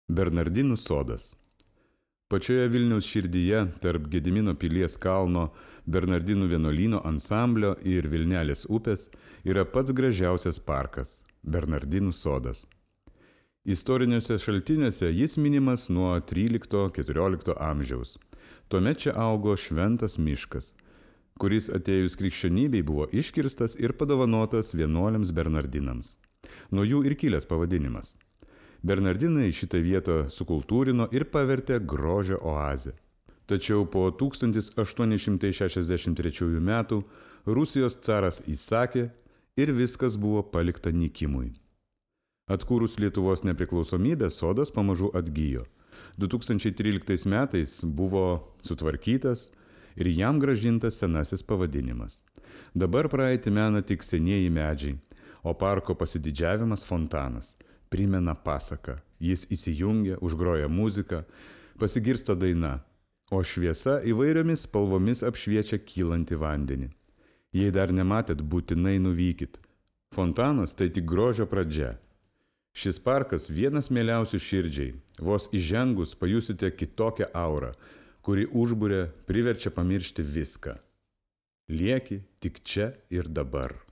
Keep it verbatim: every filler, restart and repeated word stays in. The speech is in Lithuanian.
Bernardinų sodas. Pačioje Vilniaus širdyje, tarp Gedimino pilies kalno, Bernardinų vienuolyno ansamblio ir Vilnelės upės, yra pats gražiausias parkas – Bernardinų sodas. Istoriniuose šaltiniuose jis minimas nuo trylikto-keturiolikto amžiaus. Tuomet čia augo šventas miškas, kuris atėjus krikščionybei buvo iškirstas ir padovanotas vienuoliams Bernardinams. Nuo jų ir kilęs pavadinimas. Bernardinai šitą vietą sukultūrino ir pavertė grožio oazę. Tačiau po tūkstantis aštuoni šimtai šešiasdešimt trečiųjų metų Rusijos caras įsakė ir viskas buvo palikta nykimui. Atkūrus Lietuvos nepriklausomybę, sodas pamažu atgijo. du tūkstančiai tryliktais metais buvo sutvarkytas ir jam grąžintas senasis pavadinimas. Dabar praeitį mena tik senieji medžiai, o parko pasididžiavimas fontanas. Primena pasaką. Jis įsijungia, užgroja muziką, pasigirsta daina, o šviesa įvairiomis spalvomis apšviečia kylantį vandenį. Jei dar nematėt, būtinai nuvykit. Fontanas tai tik grožio pradžia. Šis parkas vienas mieliausių širdžiai. Vos įžengus pajusite kitokią aurą, kuri užburia, priverčia pamiršti viską. Lieki tik čia ir dabar.